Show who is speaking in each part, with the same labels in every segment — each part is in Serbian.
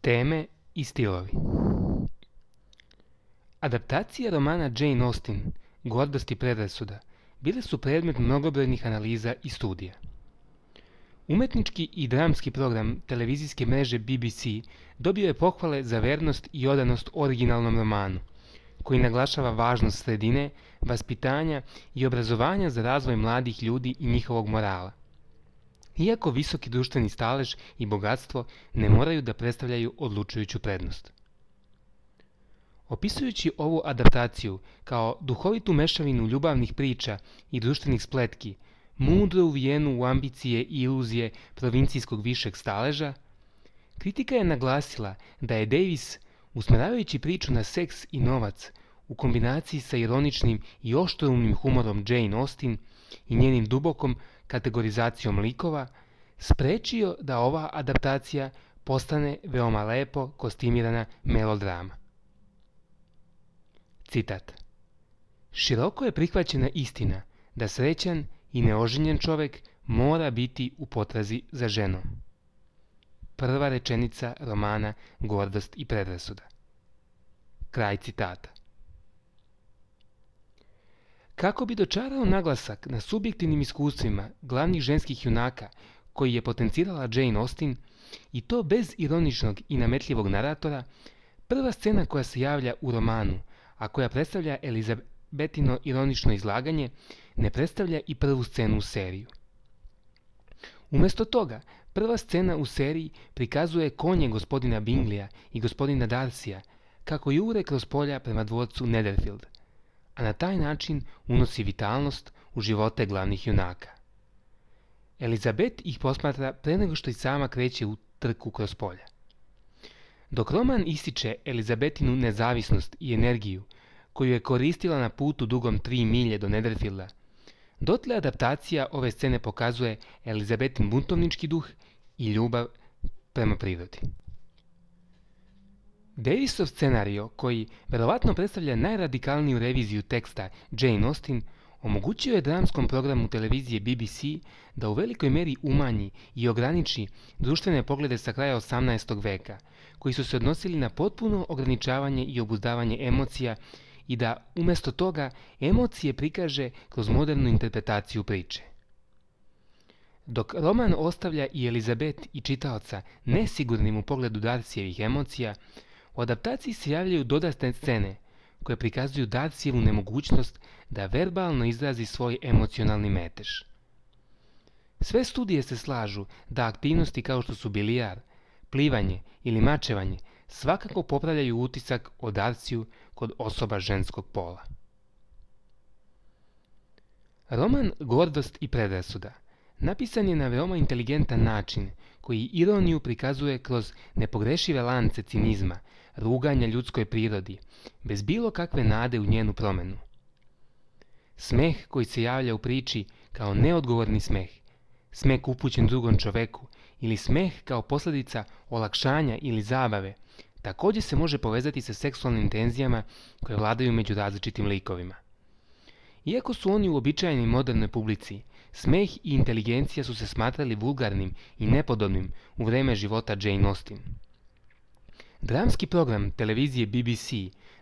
Speaker 1: Teme i stilovi. Adaptacije romana Jane Austen, Gordost i predrasuda, bile su predmet mnogobrojnih analiza i studija. Umetnički i dramski program televizijske mreže BBC dobio je pohvale za vernost i odanost originalnom romanu, koji naglašava važnost sredine, vaspitanja i obrazovanja za razvoj mladih ljudi i njihovog morala. Iako visoki društveni stalež i bogatstvo ne moraju da predstavljaju odlučujuću prednost. Opisujući ovu adaptaciju kao duhovitu mešavinu ljubavnih priča i društvenih spletki, mudro uvijenu u ambicije i iluzije provincijskog višeg staleža, kritika je naglasila da je Davis, usmeravajući priču na seks i novac, u kombinaciji sa ironičnim i oštroumnim humorom Jane Austen i njenim dubokom kategorizacijom likova, sprečio da ova adaptacija postane veoma lepo kostimirana melodrama. Citat. Široko je prihvaćena istina da srećan i neoženjen čovek mora biti u potrazi za ženom. Prva rečenica romana Gordost i predrasuda. Kraj citata. Kako bi dočarao naglasak na subjektivnim iskustvima glavnih ženskih junaka koji je potencirala Jane Austen, i to bez ironičnog i nametljivog naratora, prva scena koja se javlja u romanu, a koja predstavlja Elizabetino ironično izlaganje, ne predstavlja i prvu scenu u seriju. Umesto toga, prva scena u seriji prikazuje konje gospodina Binglija i gospodina Darcyja kako jure kroz polja prema dvorcu Netherfield, a na taj način unosi vitalnost u živote glavnih junaka. Elizabeth ih posmatra pre nego što i sama kreće u trku kroz polja. Dok roman ističe Elizabetinu nezavisnost i energiju, koju je koristila na putu dugom 3 milje do Netherfielda, dotle adaptacija ove scene pokazuje Elizabetin buntovnički duh i ljubav prema prirodi. Davisov scenario, koji verovatno predstavlja najradikalniju reviziju teksta Jane Austen, omogućio je dramskom programu televizije BBC da u velikoj meri umanji i ograniči društvene poglede sa kraja 18. veka, koji su se odnosili na potpuno ograničavanje i obuzdavanje emocija i da, umesto toga, emocije prikaže kroz modernu interpretaciju priče. Dok roman ostavlja i Elizabeth i čitaoca nesigurnim u pogledu Darcyjevih emocija, u adaptaciji se javljaju dodatne scene koje prikazuju Darcyjevu nemogućnost da verbalno izrazi svoj emocionalni metež. Sve studije se slažu da aktivnosti kao što su bilijar, plivanje ili mačevanje svakako popravljaju utisak o Darcyju kod osoba ženskog pola. Roman Gordost i predrasuda napisan je na veoma inteligentan način koji ironiju prikazuje kroz nepogrešive lance cinizma, ruganja ljudskoj prirodi, bez bilo kakve nade u njenu promenu. Smeh koji se javlja u priči kao neodgovorni smeh, smeh upućen drugom čoveku ili smeh kao posljedica olakšanja ili zabave, također se može povezati sa seksualnim tenzijama koje vladaju među različitim likovima. Iako su oni uobičajeni modernoj publici, smeh i inteligencija su se smatrali vulgarnim i nepodobnim u vreme života Jane Austen. Dramski program televizije BBC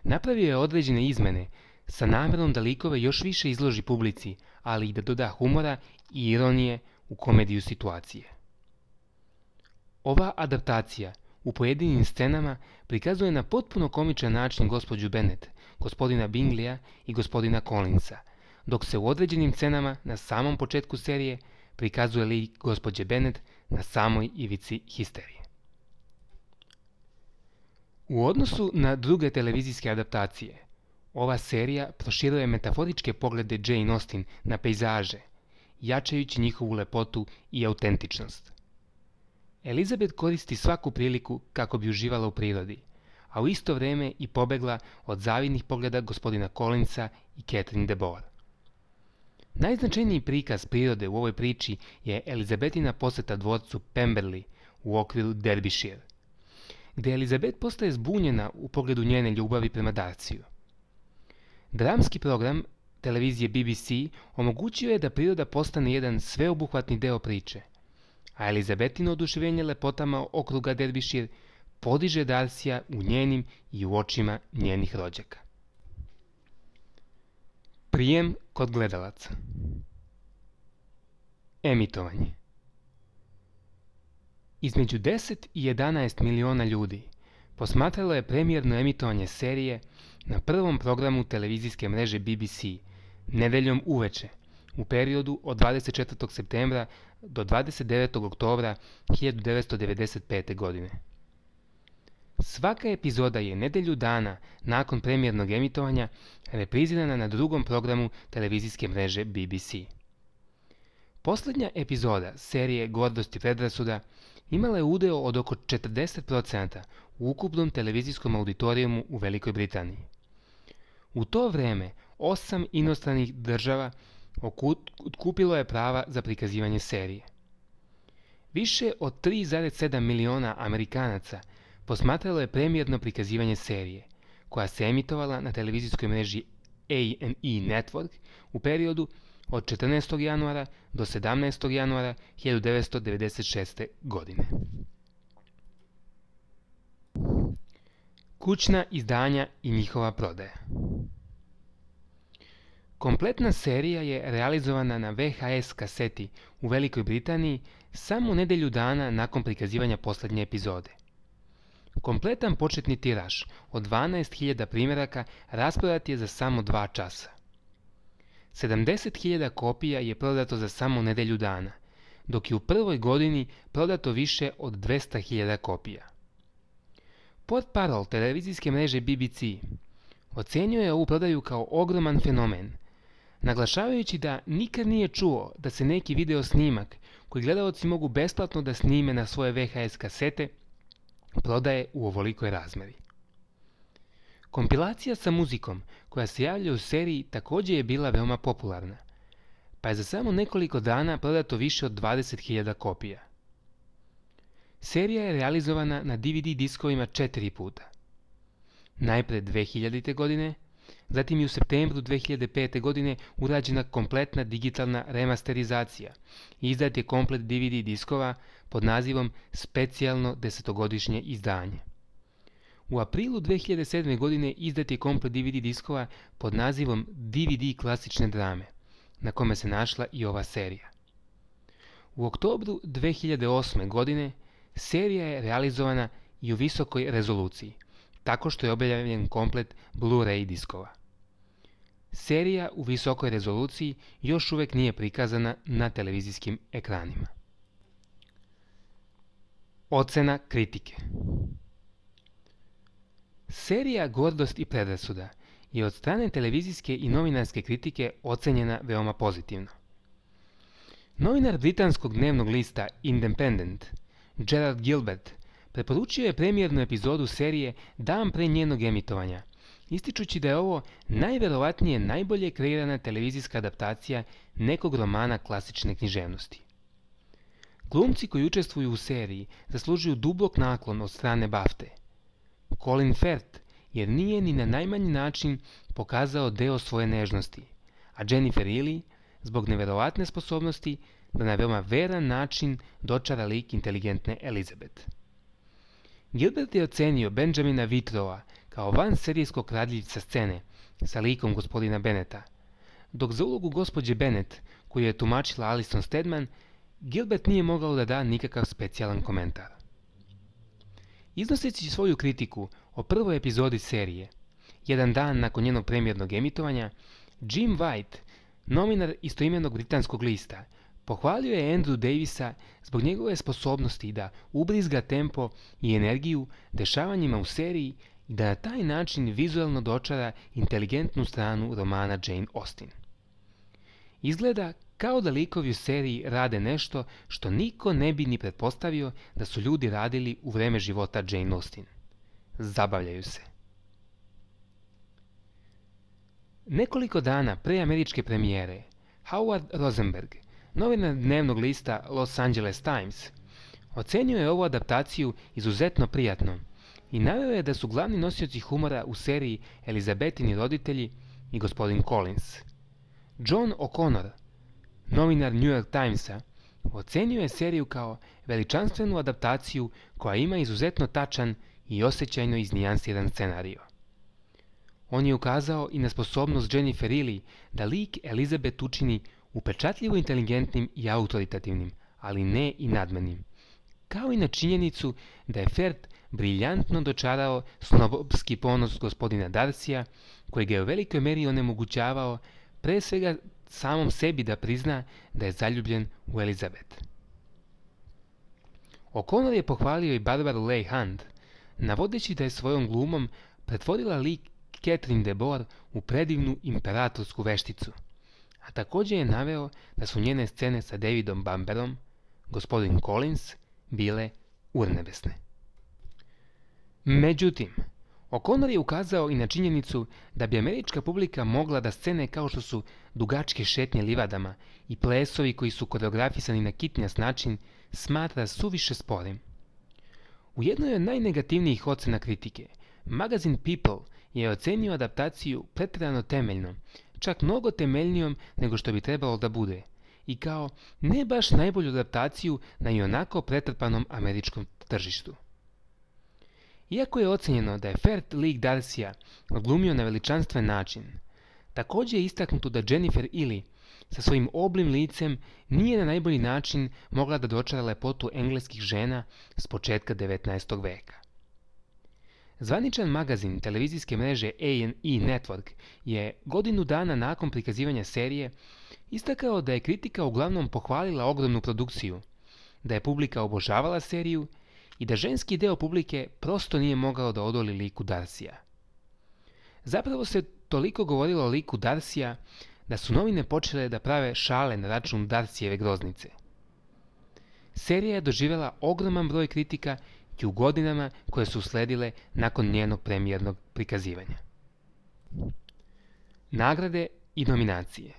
Speaker 1: napravio je određene izmene sa namerom da likove još više izloži publici, ali i da doda humora i ironije u komediju situacije. Ova adaptacija u pojedinim scenama prikazuje na potpuno komičan način gospođu Bennet, gospodina Binglija i gospodina Collinsa, dok se u određenim scenama na samom početku serije prikazuje lik gospođe Bennet na samoj ivici histerije. U odnosu na druge televizijske adaptacije, ova serija proširuje metaforičke poglede Jane Austen na pejzaže, jačajući njihovu lepotu i autentičnost. Elizabeth koristi svaku priliku kako bi uživala u prirodi, a u isto vrijeme i pobegla od zavidnih pogleda gospodina Collinsa i Catherine de Bourgh. Najznačajniji prikaz prirode u ovoj priči je Elizabetina poseta dvorcu Pemberley u okviru Derbyshire, gdje Elizabeth postaje zbunjena u pogledu njene ljubavi prema Darcyju. Dramski program televizije BBC omogućio je da priroda postane jedan sveobuhvatni deo priče, a Elizabetino oduševljenje lepotama okruga Derbyshire podiže Darcya u njenim i u očima njenih rođaka. Prijem kod gledalaca. Emitovanje. Između 10 i 11 miliona ljudi posmatralo je premijerno emitovanje serije na prvom programu televizijske mreže BBC nedeljom uveče u periodu od 24. septembra do 29. oktobra 1995. godine. Svaka epizoda je nedelju dana nakon premijernog emitovanja reprizirana na drugom programu televizijske mreže BBC. Posljednja epizoda serije Gordost i predrasuda imala je udeo od oko 40% u ukupnom televizijskom auditorijumu u Velikoj Britaniji. U to vreme 8 inostranih država otkupilo je prava za prikazivanje serije. Više od 3,7 miliona Amerikanaca posmatralo je premijerno prikazivanje serije, koja se emitovala na televizijskoj mreži A&E Network u periodu od 14. januara do 17. januara 1996. godine. Kućna izdanja i njihova prodaja. Kompletna serija je realizovana na VHS kaseti u Velikoj Britaniji samo nedelju dana nakon prikazivanja posljednje epizode. Kompletan početni tiraž od 12.000 primjeraka rasprodat je za samo 2 časa. 70.000 kopija je prodato za samo nedelju dana, dok je u prvoj godini prodato više od 200.000 kopija. Portparol televizijske mreže BBC ocenio je ovu prodaju kao ogroman fenomen, naglašavajući da nikad nije čuo da se neki video snimak koji gledaoci mogu besplatno da snime na svoje VHS kasete prodaje u ovolikoj razmeri. Kompilacija sa muzikom koja se javlja u seriji također je bila veoma popularna, pa je za samo nekoliko dana prodato više od 20.000 kopija. Serija je realizovana na DVD diskovima 4 puta. Najpre 2000. godine, zatim i u septembru 2005. godine urađena kompletna digitalna remasterizacija i izdat je komplet DVD diskova pod nazivom Specijalno 10-godišnje izdanje. U aprilu 2007. godine izdat je komplet DVD diskova pod nazivom DVD klasične drame, na kome se našla i ova serija. U oktobru 2008. godine serija je realizovana i u visokoj rezoluciji, tako što je objavljen komplet Blu-ray diskova. Serija u visokoj rezoluciji još uvijek nije prikazana na televizijskim ekranima. Ocena kritike. Serija Gordost i predrasuda je od strane televizijske i novinarske kritike ocenjena veoma pozitivno. Novinar britanskog dnevnog lista Independent, Gerard Gilbert, preporučio je premijernu epizodu serije dan pre njenog emitovanja, ističući da je ovo najverovatnije najbolje kreirana televizijska adaptacija nekog romana klasične književnosti. Glumci koji učestvuju u seriji zaslužuju dubok naklon od strane BAFTA. Colin Firth, jer nije ni na najmanji način pokazao deo svoje nežnosti, a Jennifer Ely zbog neverovatne sposobnosti da na veoma veran način dočara lik inteligentne Elizabeth. Gilbert je ocenio Benjamina Whitrowa kao vanserijskog kradljivca scene sa likom gospodina Benneta, dok za ulogu gospođe Bennet, koju je tumačila Alison Steadman, Gilbert nije mogao da da nikakav specijalan komentar. Iznoseći svoju kritiku o prvoj epizodi serije, jedan dan nakon njenog premijernog emitovanja, Jim White, novinar istoimenog britanskog lista, pohvalio je Andrew Davisa zbog njegove sposobnosti da ubrizga tempo i energiju dešavanjima u seriji i da na taj način vizualno dočara inteligentnu stranu romana Jane Austen. Izgleda kao da likovi u seriji rade nešto što niko ne bi ni pretpostavio da su ljudi radili u vreme života Jane Austen. Zabavljaju se. Nekoliko dana pre američke premijere, Howard Rosenberg, novinar dnevnog lista Los Angeles Times, ocenio je ovu adaptaciju izuzetno prijatnom i naveo je da su glavni nosioci humora u seriji Elizabetini roditelji i gospodin Collins. John O'Connor, novinar New York Timesa, ocenio je seriju kao veličanstvenu adaptaciju koja ima izuzetno tačan i osjećajno iznijansiran scenario. On je ukazao i na sposobnost Jennifer Ehle da lik Elizabeth učini upečatljivo inteligentnim i autoritativnim, ali ne i nadmenim, kao i na činjenicu da je Ferd briljantno dočarao snobovski ponos gospodina Darcyja, koji ga je u velikoj meri onemogućavao pre svega samom sebi da prizna da je zaljubljen u Elizabeth. O'Connor je pohvalio i Barbaru Leigh Hunt, navodeći da je svojom glumom pretvorila lik Catherine de Boer u predivnu imperatorsku vešticu, a također je naveo da su njene scene sa Davidom Bamberom, gospodin Collins, bile urnebesne. Međutim, O'Connor je ukazao i na činjenicu da bi američka publika mogla da scene kao što su dugačke šetnje livadama i plesovi koji su koreografisani na kitnjas način smatra suviše sporim. U jednoj od najnegativnijih ocena kritike, magazin People je ocenio adaptaciju pretjerano temeljno, čak mnogo temeljnijom nego što bi trebalo da bude, i kao ne baš najbolju adaptaciju na ionako pretrpanom američkom tržištu. Iako je ocenjeno da je Ferd lik Darcyja odglumio na veličanstven način, također je istaknuto da Jennifer Ehle sa svojim oblim licem nije na najbolji način mogla da dočara lepotu engleskih žena s početka 19. veka. Zvaničan magazin televizijske mreže A&E Network je godinu dana nakon prikazivanja serije istakao da je kritika uglavnom pohvalila ogromnu produkciju, da je publika obožavala seriju i da ženski deo publike prosto nije mogao da odoli liku Darcyja. Zapravo se toliko govorilo o liku Darcyja da su novine počele da prave šale na račun Darcyjeve groznice. Serija je doživjela ogroman broj kritika i u godinama koje su usledile nakon njenog premijernog prikazivanja. Nagrade i nominacije.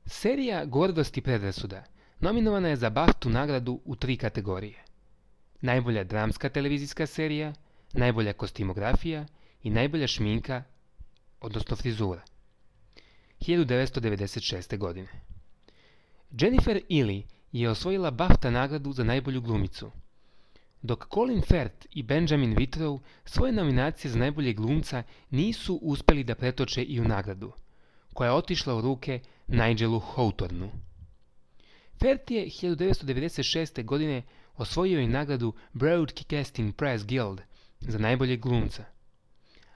Speaker 1: Serija Gordost i predrasuda nominovana je za BAFTA nagradu u 3 kategorije: najbolja dramska televizijska serija, najbolja kostimografija i najbolja šminka, odnosno frizura. 1996. godine. Jennifer Ehle je osvojila BAFTA nagradu za najbolju glumicu, dok Colin Firth i Benjamin Whitrow svoje nominacije za najboljeg glumca nisu uspjeli da pretoče i u nagradu, koja je otišla u ruke Nigelu Hawthornu. Firth je 1996. godine osvojio i nagradu Broadcasting Press Guild za najboljeg glumca,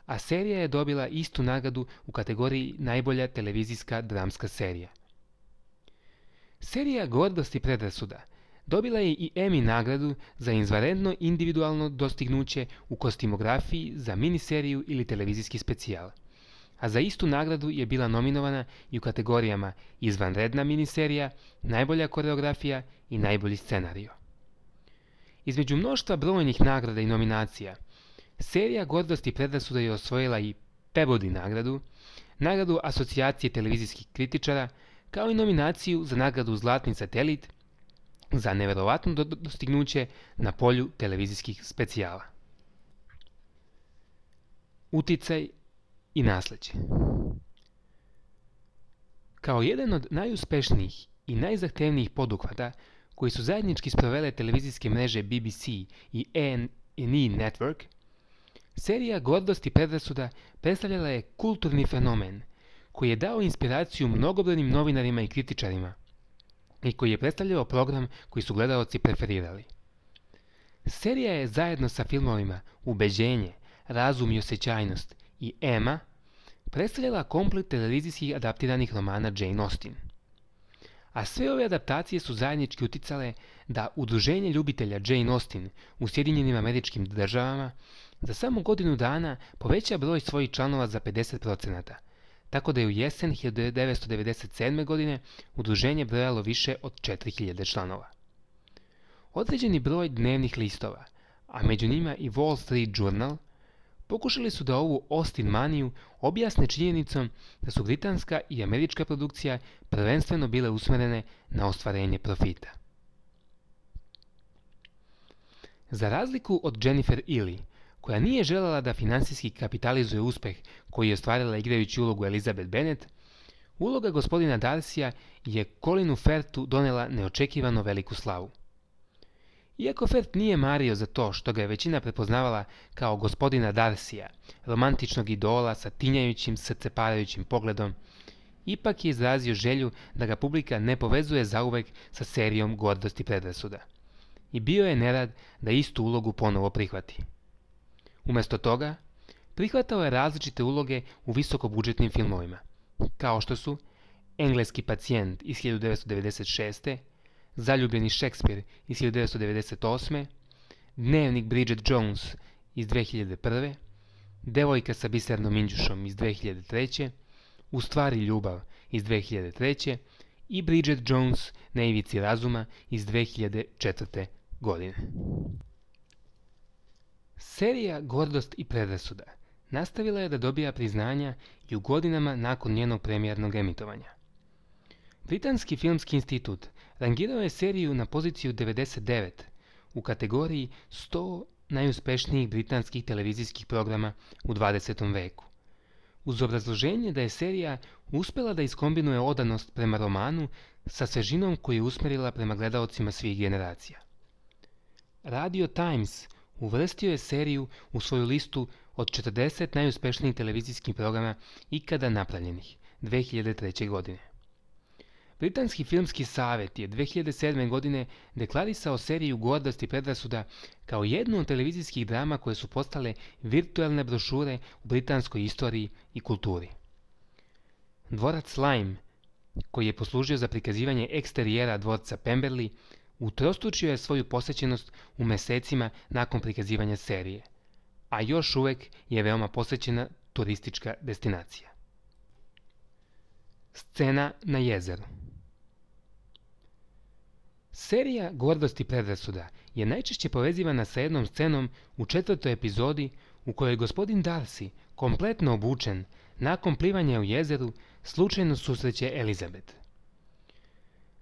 Speaker 1: a serija je dobila istu nagradu u kategoriji najbolja televizijska dramska serija. Serija Gordost i predrasuda dobila je i Emmy nagradu za izvanredno individualno dostignuće u kostimografiji za miniseriju ili televizijski specijal, a za istu nagradu je bila nominovana i u kategorijama izvanredna miniserija, najbolja koreografija i najbolji scenario. Između mnoštva brojnih nagrada i nominacija, serija Gordost i predrasuda je osvojila i Peabody nagradu, nagradu Asocijacije televizijskih kritičara, kao i nominaciju za nagradu Zlatni satelit za neverovatno dostignuće na polju televizijskih specijala. Uticaj i nasleđe. Kao jedan od najuspešnijih i najzahtevnijih poduhvata koji su zajednički sprovele televizijske mreže BBC i A&E Network, serija Gordost i predrasuda predstavljala je kulturni fenomen koji je dao inspiraciju mnogobrojnim novinarima i kritičarima i koji je predstavljao program koji su gledaoci preferirali. Serija je zajedno sa filmovima Ubeđenje, Razum i osjećajnost i Emma predstavljala komplet televizijskih adaptiranih romana Jane Austen. A sve ove adaptacije su zajednički uticale da Udruženje ljubitelja Jane Austen u Sjedinjenim Američkim Državama za samo godinu dana poveća broj svojih članova za 50%, tako da je u jesen 1997. godine udruženje brojalo više od 4000 članova. Određeni broj dnevnih listova, a među njima i Wall Street Journal, pokušali su da ovu Austen maniju objasne činjenicom da su britanska i američka produkcija prvenstveno bile usmjerene na ostvarenje profita. Za razliku od Jennifer Ehle, koja nije željela da finansijski kapitalizuje uspeh koji je ostvarila igrajući ulogu Elizabeth Bennet, Uloga gospodina Darcya je Colinu Firthu donela neočekivano veliku slavu. Iako Firth nije mario za to što ga je većina prepoznavala kao gospodina Darcya, romantičnog idola sa tinjajućim, srceparajućim pogledom, ipak je izrazio želju da ga publika ne povezuje zauvek sa serijom Gordost i predrasuda. I bio je nerad da istu ulogu ponovo prihvati. Umjesto toga, prihvatao je različite uloge u visokobudžetnim filmovima, kao što su Engleski pacijent iz 1996. Zaljubljeni Šekspir iz 1998. Dnevnik Bridget Jones iz 2001. Devojka sa bisernom minđušom iz 2003. U stvari ljubav iz 2003. i Bridget Jones na ivici razuma iz 2004. godine. Serija Gordost i predrasuda nastavila je da dobija priznanja i u godinama nakon njenog premijernog emitovanja. Britanski filmski institut rangirao je seriju na poziciju 99 u kategoriji 100 najuspešnijih britanskih televizijskih programa u 20. veku, uz obrazloženje da je serija uspjela da iskombinuje odanost prema romanu sa svežinom koju je usmjerila prema gledaocima svih generacija. Radio Times uvrstio je seriju u svoju listu od 40 najuspešnijih televizijskih programa ikada napravljenih 2003. godine. Britanski filmski savjet je 2007. godine deklarisao seriju Gordost i predrasuda kao jednu od televizijskih drama koje su postale virtualne brošure u britanskoj istoriji i kulturi. Dvorac Lyme, koji je poslužio za prikazivanje eksterijera dvorca Pemberley, utrostručio je svoju posjećenost u mesecima nakon prikazivanja serije, a još uvek je veoma posjećena turistička destinacija. Scena na jezeru. Serija Gordost i predrasuda je najčešće povezivana sa jednom scenom u 4. epizodi u kojoj gospodin Darcy, kompletno obučen, nakon plivanja u jezeru, slučajno susreće Elizabeth.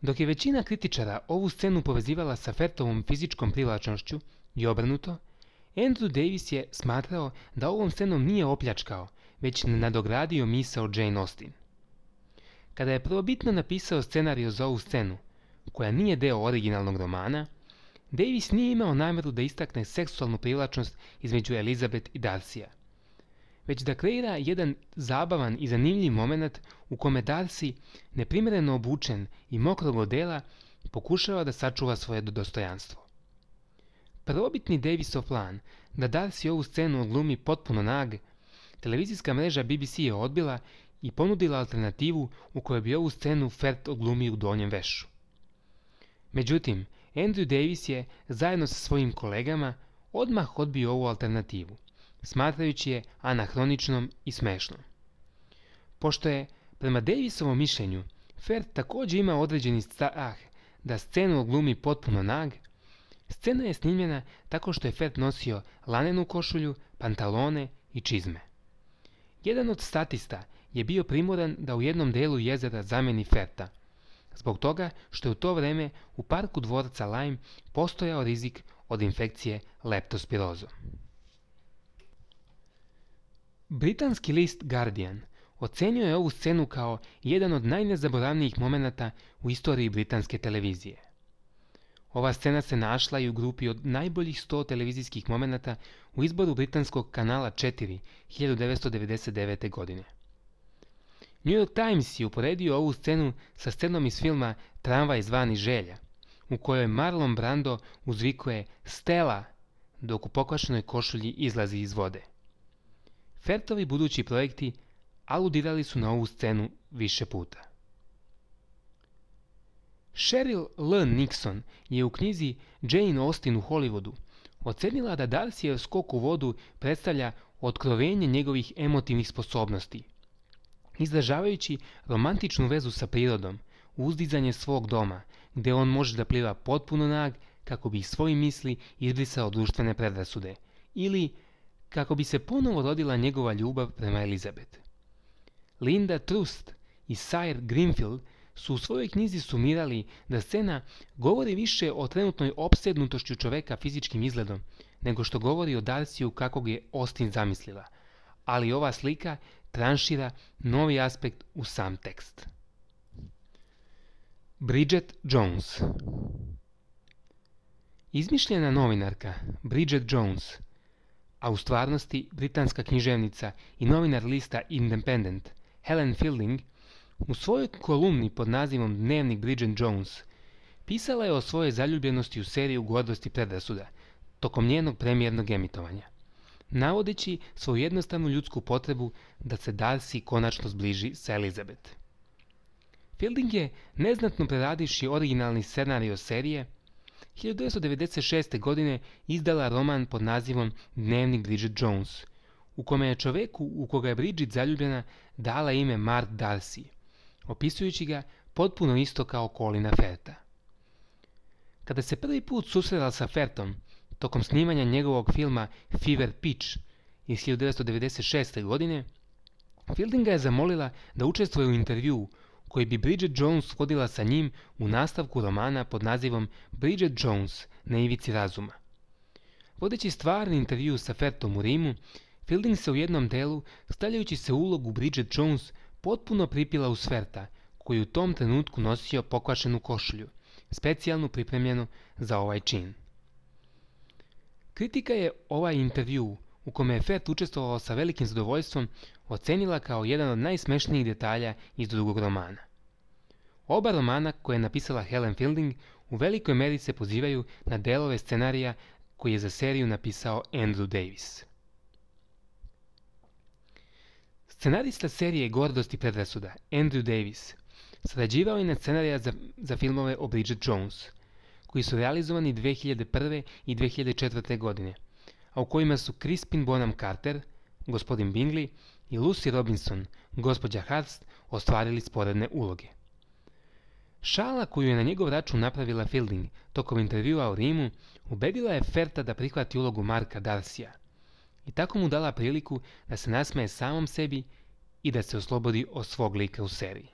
Speaker 1: Dok je većina kritičara ovu scenu povezivala sa Firthovom fizičkom privlačnošću i obrnuto, Andrew Davies je smatrao da ovom scenom nije opljačkao, već nadogradio misao Jane Austen. Kada je prvobitno napisao scenariju za ovu scenu, koja nije deo originalnog romana, Davies nije imao namjeru da istakne seksualnu privlačnost između Elizabeth i Darcya, već da kreira jedan zabavan i zanimljiv moment u kome Darcy, neprimjereno obučen i mokrog odela, pokušava da sačuva svoje dostojanstvo. Prvobitni Daviesov plan da Darcy ovu scenu odglumi potpuno nag, televizijska mreža BBC je odbila i ponudila alternativu u kojoj bi ovu scenu Firth odglumio u donjem vešu. Međutim, Andrew Davies je, zajedno sa svojim kolegama, odmah odbio ovu alternativu, smatrajući je anahroničnom i smešnom. Pošto je, prema Daviesovom mišljenju, Firth također ima određeni strah da scenu odglumi potpuno nag, scena je snimljena tako što je Firth nosio lanenu košulju, pantalone i čizme. Jedan od statista je bio primoran da u jednom delu jezera zameni Firtha, zbog toga što je u to vreme u parku dvorca Lyme postojao rizik od infekcije leptospirozom. Britanski list Guardian ocenio je ovu scenu kao jedan od najnezaboravnijih momenata u istoriji britanske televizije. Ova scena se našla i u grupi od najboljih 100 televizijskih momenata u izboru britanskog kanala 4 1999. godine. New York Times je uporedio ovu scenu sa scenom iz filma Tramvaj zvani Želja, u kojoj Marlon Brando uzvikuje Stella dok u pokvašenoj košulji izlazi iz vode. Firthovi budući projekti aludirali su na ovu scenu više puta. Cheryl L. Nixon je u knjizi Jane Austen u Hollywoodu ocenila da Darcyjev skok u vodu predstavlja otkrovenje njegovih emotivnih sposobnosti, izražavajući romantičnu vezu sa prirodom, uzdizanje svog doma, gdje on može da pliva potpuno nag kako bi iz svojih misli izbrisao društvene predrasude, ili kako bi se ponovo rodila njegova ljubav prema Elizabeth. Linda Trust i Sire Greenfield su u svojoj knjizi sumirali da scena govori više o trenutnoj opsednutošću čoveka fizičkim izgledom, nego što govori o Darcyu kakvog je Austen zamislila, ali ova slika tranšira novi aspekt u sam tekst. Bridget Jones. Izmišljena novinarka Bridget Jones, a u stvarnosti britanska književnica i novinar lista Independent Helen Fielding, u svojoj kolumni pod nazivom Dnevnik Bridget Jones pisala je o svojoj zaljubljenosti u seriju Gordost i predrasuda tokom njenog premijernog emitovanja, navodeći svoju jednostavnu ljudsku potrebu da se Darcy konačno zbliži sa Elizabeth. Fielding je, neznatno preradivši originalni scenario serije, 1996. godine izdala roman pod nazivom Dnevnik Bridget Jones, u kome je čoveku u koga je Bridget zaljubljena dala ime Mark Darcy, opisujući ga potpuno isto kao Colina Firtha. Kada se prvi put susrela sa Firthom tokom snimanja njegovog filma Fever Pitch iz 1996. godine, Fielding ga je zamolila da učestvuje u intervjuu koji bi Bridget Jones vodila sa njim u nastavku romana pod nazivom Bridget Jones na ivici razuma. Vodeći stvarni intervju sa Firthom u Rimu, Fielding se u jednom delu, stavljajući se u ulogu Bridget Jones, potpuno pripila uz Firtha, koji je u tom trenutku nosio pokvašenu košulju, specijalno pripremljenu za ovaj čin. Kritika je ovaj intervju, u kome je Firth učestvovao sa velikim zadovoljstvom, ocenila kao jedan od najsmešnijih detalja iz drugog romana. Oba romana koje je napisala Helen Fielding u velikoj meri se pozivaju na delove scenarija koji je za seriju napisao Andrew Davis. Scenarista serije Gordost i predrasuda, Andrew Davis, sarađivao je na scenarija za filmove o Bridget Jones, koji su realizovani 2001. i 2004. godine, a u kojima su Crispin Bonham Carter, gospodin Bingley, i Lucy Robinson, gospođa Hurst, ostvarili sporedne uloge. Šala koju je na njegov račun napravila Fielding tokom intervjua u Rimu ubedila je Firtha da prihvati ulogu Marka Darcya i tako mu dala priliku da se nasmeje samom sebi i da se oslobodi od svog lika u seriji.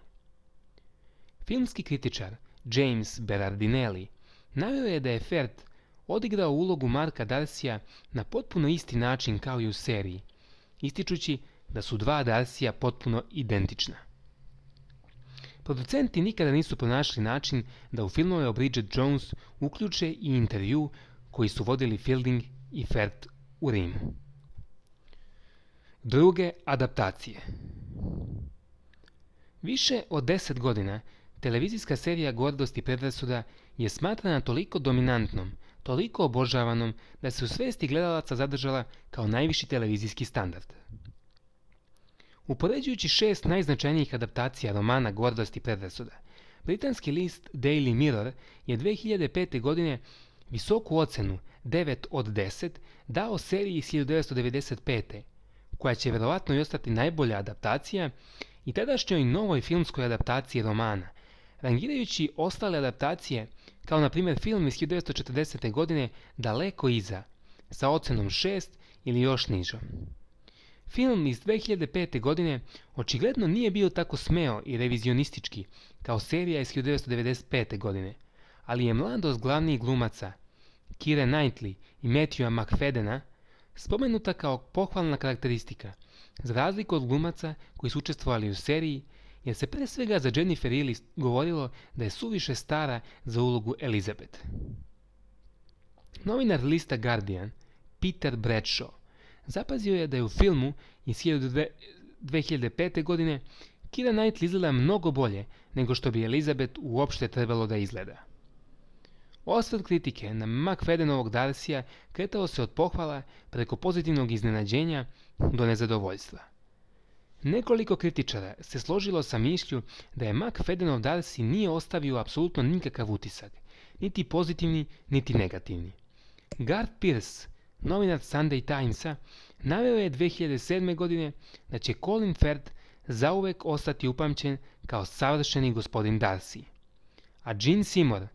Speaker 1: Filmski kritičar James Berardinelli naveo je da je Firth odigrao ulogu Marka Darcya na potpuno isti način kao i u seriji, ističući da su dva Darcya potpuno identična. Producenti nikada nisu pronašli način da u filmove o Bridget Jones uključe i intervju koji su vodili Fielding i Firth u Rimu. Druge adaptacije. Više od 10 godina televizijska serija Gordost i predrasuda je smatrana toliko dominantnom, toliko obožavanom da se u svesti gledalaca zadržala kao najviši televizijski standard. Upoređujući 6 najznačajnijih adaptacija romana Gordost i predrasuda, britanski list Daily Mirror je 2005. godine visoku ocenu 9 od 10 dao seriji iz 1995. koja će vjerovatno i ostati najbolja adaptacija i tadašnjoj novoj filmskoj adaptaciji romana, rangirajući ostale adaptacije kao na primjer film iz 1940. godine daleko iza, sa ocenom 6 ili još nižom. Film iz 2005. godine očigledno nije bio tako smeo i revizionistički kao serija iz 1995. godine, ali je mladost glavnih glumaca, Keira Knightley i Matthewa McFaddena, spomenuta kao pohvalna karakteristika, za razliku od glumaca koji su učestvovali u seriji, jer se pre svega za Jennifer Ehle govorilo da je suviše stara za ulogu Elizabeth. Novinar lista Guardian, Peter Bradshaw, zapazio je da je u filmu iz 2005. godine Keira Knightley izgleda mnogo bolje nego što bi Elizabeth uopšte trebalo da izgleda. Osvrt kritike na McFaddenovog Darcya kretao se od pohvala preko pozitivnog iznenađenja do nezadovoljstva. Nekoliko kritičara se složilo sa mišlju da je McFaddenov Darcy nije ostavio apsolutno nikakav utisak, niti pozitivni, niti negativni. Garth Pierce, novinar Sunday Timesa, naveo je 2007. godine da će Colin Firth zauvek ostati upamćen kao savršeni gospodin Darcy. A Jean Seymour,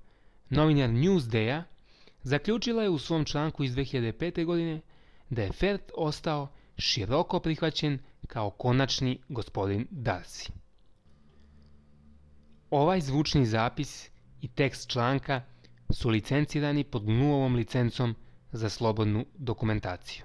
Speaker 1: novinar Newsday-a, zaključila je u svom članku iz 2005. godine da je Firth ostao široko prihvaćen kao konačni gospodin Darcy. Ovaj zvučni zapis i tekst članka su licencirani pod GNU-ovom licencom za slobodnu dokumentaciju.